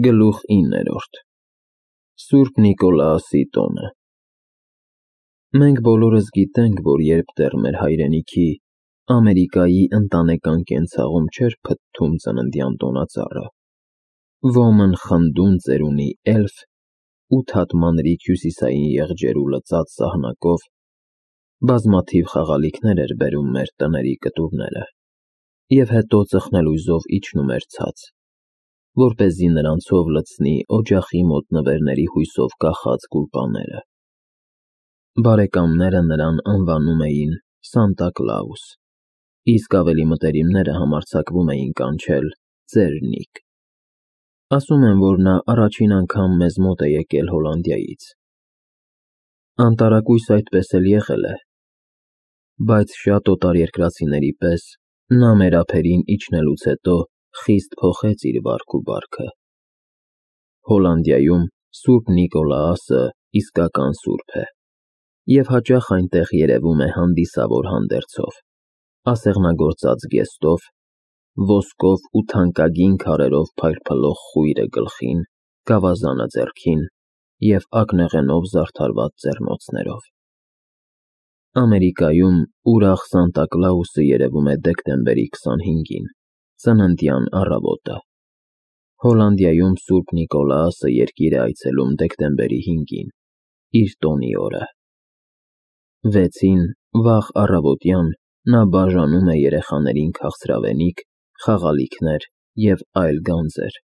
Գլուխ 9 Սուրբ Նիկոլաոսի տոնը Մենք բոլորս գիտենք, որ երբ դեռ մեր հայրենիքի, Ամերիկայի ընտանեկան կենցաղում չէր փթթում ծննդյան տոնածառը, ոմն խնդուն ծերունի էլֆ, 8 հատ մանրիկ հյուսիսային եղջերու լծած սահնակով, բազմաթիվ խաղալիքներ էր բերում մեր տների կտուրները, և հետո ծխնելույզով իջնում էր ցած, որպեսզի նրանցով լցնի օջախի մոտ նվերների հույսով կախած գուլպաները։ Բարեկամները նրան անվանում էին Սանտա Կլաուս, իսկ ավելի մտերիմները համարձակվում էին կանչել Ծեր Նիկ։ Ասում են, որ նա առաջին անգամ մեզ մոտ է եկել Հոլանդիայից։ Անտարակույս այդպես էլ եղել է, բայց շատ օտարերկրացիների պես նա մեր ափերին իջնելուց հետո խիստ փոխեց իր վարք ու բարքը։ Հոլանդիայում Սուրբ Նիկոլաոսը իսկական սուրբ է, և հաճախ այնտեղ երևում է հանդիսավոր հանդերձով, ասեղնագործած գեստով, ոսկով ու թանկագին քարերով փայլփլող խույրը գլխին, գավազանը ձեռքին և ակնեղենով զարդարված ձեռնոցներով։ Ամերիկայում ուրախ Սանտա Կլաուսը երևում է դեկտեմբերի 25-ին, ծննդյան առավոտը։ Հոլանդիայում Սուրբ Նիկոլաոսը երկիր է այցելում դեկտեմբերի 5-ին, իր տոնի օրը։ 6-ին, վաղ առավոտյան, նա բաժանում է երեխաներին քաղցրավենիք, խաղալիքներ և այլ գանձեր,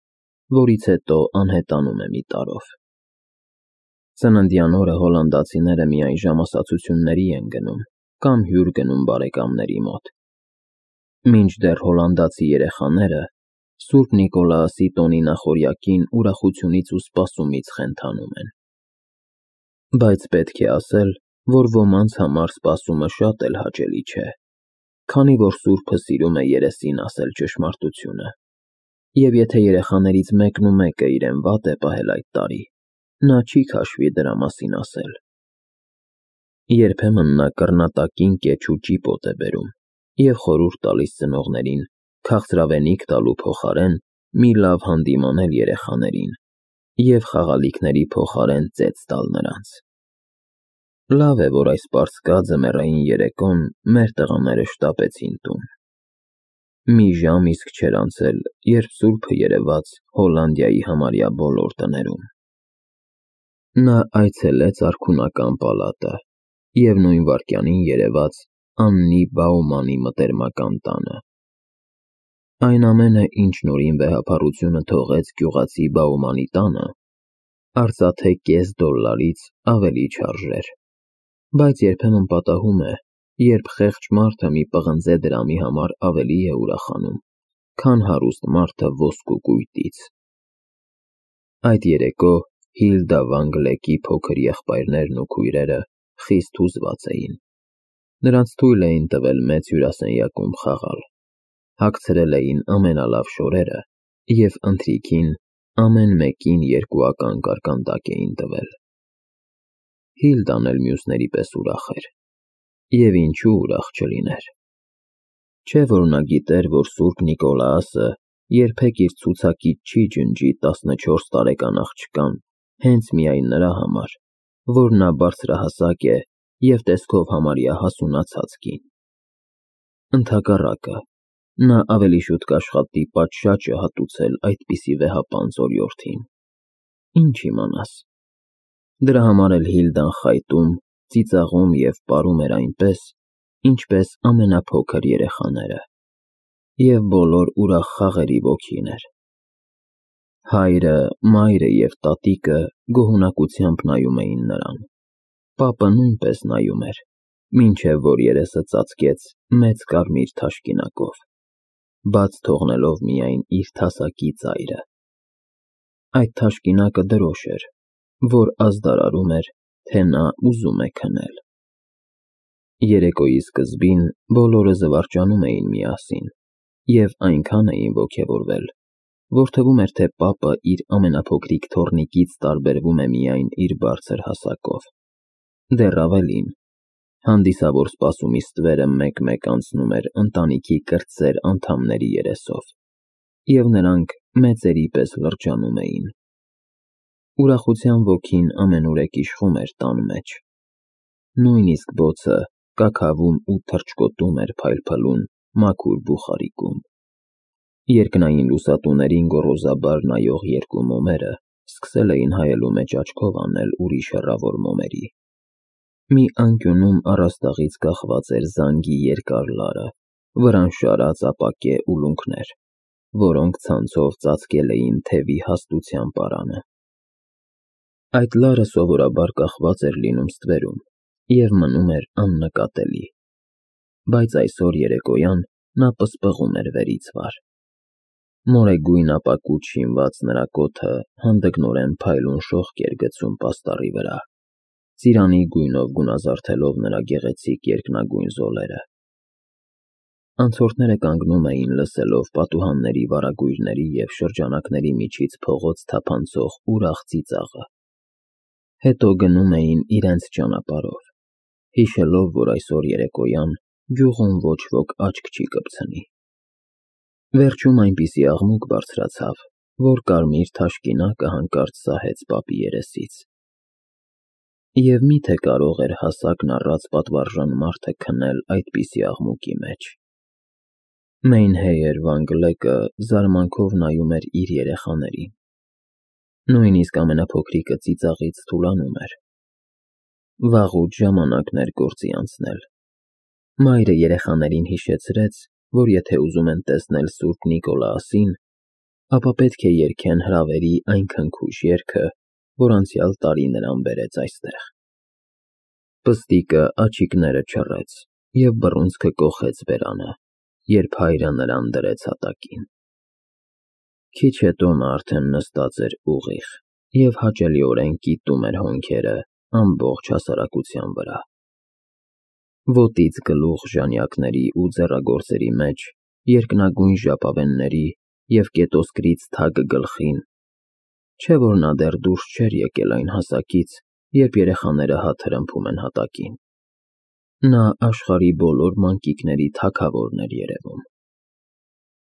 որից հետո անհետանում է մի տարրով։ Ծննդյան օրը հոլանդացիները միայն ժամասացությունների են գնում կամ հյուր գնում բարեկամների մոտ, մինչդեռ հոլանդացի երեխաները Սուրբ Նիկոլաոսի տոնի նախօրյակին ուրախությունից ու սպասումից խենթանում են։ Բայց պետք է ասել, որ ոմանց համար սպասումը շատ էլ հաճելի չէ, քանի որ սուրբը սիրում է երեսին ասել ճշմարտությունը, և եթե երեխաներից մեկն ու մեկը իրեն վատ է պահել այդ տարի, նա չի քաշվի դրա մասին ասել։ Երբեմն նա կռնատակին կեչ ու ճիպոտ է բերում և խորհուրդ տալիս ծնողներին քաղցրավենիք տալու փոխարեն մի լավ հանդիմանել երեխաներին և խաղալիքների փոխարեն ծեծ տալ նրանց։ Լավ է, որ այս պարսկա ձմեռային երեկոն մեր տղաները շտապեցին տուն։ Մի ժամ իսկ չէր անցել, երբ սուրբը երևաց Հոլանդիայի համարյա բոլոր տներում։ Նա այցելեց արքունական պալատը և նույն վայրկյանին երևաց Աննի Բաումանի մտերմական տանը։ Այն ամենը, ինչ նորին վեհափառությունը թողեց գյուղացի Բաումանի տանը, արծաթե $0.50 ավելի չարժեր, բայց երբեմն պատահում է, երբ խեղճ մարդը մի պղնձե դրամի համար ավելի է ուրախանում, քան հարուստ մարդը ոսկու կույտից։ Այդ երեկո Հիլդա վան Գլեկի փոքր եղբայրներն ու քույրերը խիստ հուզված էին։ Նրանց թույլ էին տվել մեծ հյուրասենյակում խաղալ, հագցրել էին ամենալավ շորերը և ընթրիքին ամեն մեկին երկուական կարկանդակ էին տվել։ Հիլդան էլ մյուսների պես ուրախ էր, և ինչու ուրախ չլիներ։ Չէ՞ որ նա գիտեր, որ Սուրբ Նիկոլաոսը երբեք իր ցուցակից չի ջնջի 14 տարեկան աղջկան հենց միայն նրա համար, որ նա բարձրահասակ է և տեսքով համարյա հասունացած կին։ Ընդհակառակը, նա ավելի շուտ կաշխատի պատշաճը հատուցել այդպիսի վեհապանծ օրիորդին։ Ինչ իմանաս։ Դրա համար էլ Հիլդան խայտում, ծիծաղում և պարում էր այնպես, ինչպես ամենափոքր երեխաները, և բոլոր ուրախ խաղերի ոգին էր։ Հայրը, մայրը և տատիկը գոհունակությամբ նայում էին նրան, պապը նույնպես նայում էր, մինչև որ երեսը ծածկեց մեծ կարմիր թաշկինակով, բաց թողնելով միայն իր թասակի ծայրը։ Այդ թաշկինակը դրոշ էր, որ ազդարարում էր, թե նա ուզում է քնել։ Երեկոյի սկզբին բոլորը զվարճանում էին միասին և այնքան էին ոգևորվել, որ թվում էր, թե պապը իր ամենափոքրիկ թոռնիկից տարբերվում է միայն իր բարձր հասակով։ Դեռ ավելին, հանդիսավոր սպասումի ստվերը մեկ-մեկ անցնում էր ընտանիքի կրտսեր անդամների երեսով, և նրանք մեծերի պես լրջանում էին։ Ուրախության ոգին ամենուրեք իշխում էր տան մեջ։ Նույնիսկ բոցը կաքավում ու թռչկոտում էր փայլփլուն մաքուր բուխարիկում։ Երկնային լուսատուներին գոռոզաբար նայող երկու մոմերը սկսել էին հայելու մեջ աչքով անել ուրիշ հեռավոր մոմերի։ Մի անկյունում առաստաղից կախված էր զանգի երկար լարը, վրան շարած ապակե ուլունքներ, որոնք ցանցով ծածկել էին թևի հաստության պարանը։ Այդ լարը սովորաբար կախված էր լինում ստվերում և մնում էր աննկատելի, բայց այսօր երեկոյան նա պսպղում էր վերից վար։ Մորեգույն ապակուց շինված նրա կոթը հանդգնորեն փայլուն շողք էր գցում պաստառի վրա, ծիրանի գույնով գունազարդելով նրա գեղեցիկ երկնագույն զոլերը։ Անցորդները կանգնում էին լսելով պատուհանների վարագույրների և շրջանակների միջից փողոց թափանցող ուրախ ծիծաղը։ Հետո գնում էին իրենց ճանապարհով, հիշելով, որ այսօր երեկոյան գյուղում ոչ ոք աչք չի կպցնի։ Վերջում այնպիսի աղմուկ բարձրացավ, որ կարմիր թաշկինակը հանկարծ սահեց պապի երեսից։ Եվ մի՞թե կարող էր հասակն առած պատվարժան մարդը քնել այդպիսի աղմուկի մեջ։ Մեյնհեյր Վան Գլեկը զարմանքով նայում էր իր երեխաներին։ Նույնիսկ ամենափոքրիկը ծիծաղից թուլանում էր։ Վաղուց ժամանակն էր գործի անցնել։ Մայրը երեխաներին հիշեցրեց, որ եթե ուզում են տեսնել Սուրբ Նիկոլաասին, ապա պետք է երգեն հրավերի այն քնքուշ երգը, որ անցյալ տարի նրան բերեց այստեղ։ Պստիկը աչիկները չռեց և բռունցքը կոխեց բերանը, երբ հայրը նրան դրեց հատակին։ Քիչ հետո նա արդեն նստած էր ուղիղ և հաճելիորեն կիտում էր հոնքերը ամբողջ հասարակության վրա։ Ոտից գլուխ ժանյակների ու ձեռագործերի մեջ, երկնագույն ժապավենների և կետոսկրից թագ գլխին, չէ՞ որ նա դեռ դուրս չէր եկել այն հասակից, երբ երեխաները հատ հրմփում են հատակին։ Նա աշխարհի բոլոր մանկիկների թագավորն էր երևում։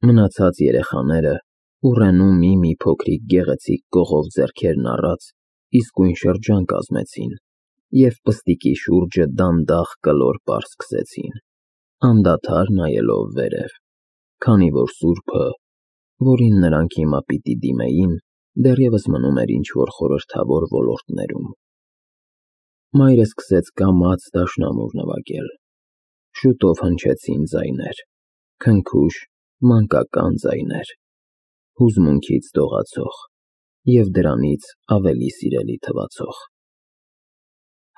Մնացած երեխաները ուռենու մի փոքրիկ գեղեցիկ կողով ձեռքերն առած իսկույն շրջան կազմեցին և պստիկի շուրջը դանդաղ կլոր պար սկսեցին, անդադար նայելով վերև, քանի որ սուրբը, որին նրանք հիմա պիտի դիմեին, դեռևս մնում էր ինչ-որ խորհրդավոր ոլորտներում։ Մայրը սկսեց կամաց դաշնամուր նվագել։ Շուտով հնչեցին ձայներ, քնքուշ, մանկական ձայներ, հուզմունքից դողացող և դրանից ավելի սիրելի թվացող։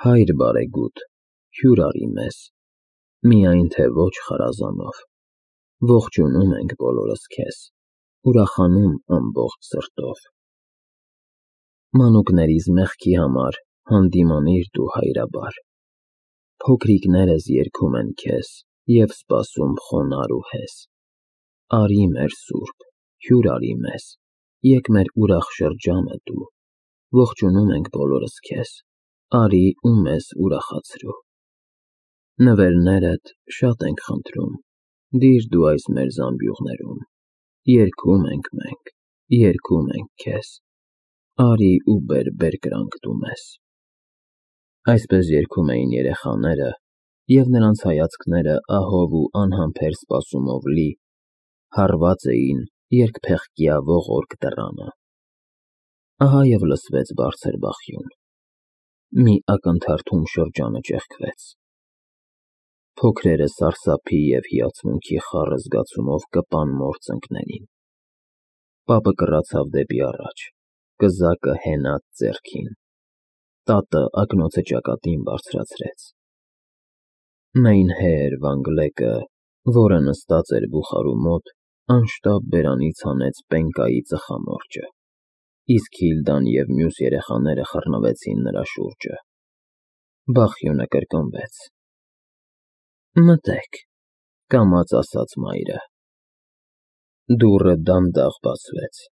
Հայր բարեգութ, հյուր արի մեզ, միայն թե ոչ խարազանով, ողջունում ենք բոլորս քեզ, ուրախանում ամբողջ սրտով։ Մանուկներիս մեղքի համար հանդիմանիր դու հայրաբար, փոքրիկներս երգում են քեզ և սպասում խոնարհ ու հեզ։ Արի մեր Սուրբ, հյուր արի մեզ, եկ մեր ուրախ շրջանը դու, ողջունում ենք բոլորս քեզ, արի ու մեզ ուրախացրու։ Նվերներդ շատ ենք խնդրում, դիր դու այս մեր զամբյուղներում, երգում ենք մենք, երգում ենք քեզ, արի ու բեր բերկրանք դու մեզ։ Այսպես երգում էին երեխաները, և նրանց հայացքները ահով ու անհամբեր սպասումով լի հառված էին երկփեղկյա ողորկ դռանը։ Ահա և լսվեց բարձր բախյուն։ Մի ակնթարթում շրջանը ճեղքվեց։ Փոքրերը սարսափի և հիացմունքի խառը զգացումով կպան մոր ծնկներին։ Պապը կռացավ դեպի առաջ, կզակը հենած ձեռքին։ Տատը ակնոցը ճակատին բարձրացրեց։ Մեյնհեյր Վան Գլեկը, որը նստած էր բուխարու մոտ, անշտապ բերանից հանեց պենկայի ծխամորճը, իսկ Հիլդան և մյուս երեխաները խռնվեցին նրա շուրջը։ Բախյունը կրկնվեց։ Մտե՛ք, կամաց ասաց մայրը։ Դուռը դանդաղ բացվեց,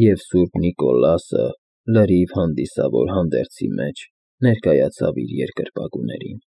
և Սուրբ Նիկոլասը լրիվ հանդիսավոր հանդերձի մեջ ներկայացավ իր երկրպագուներին։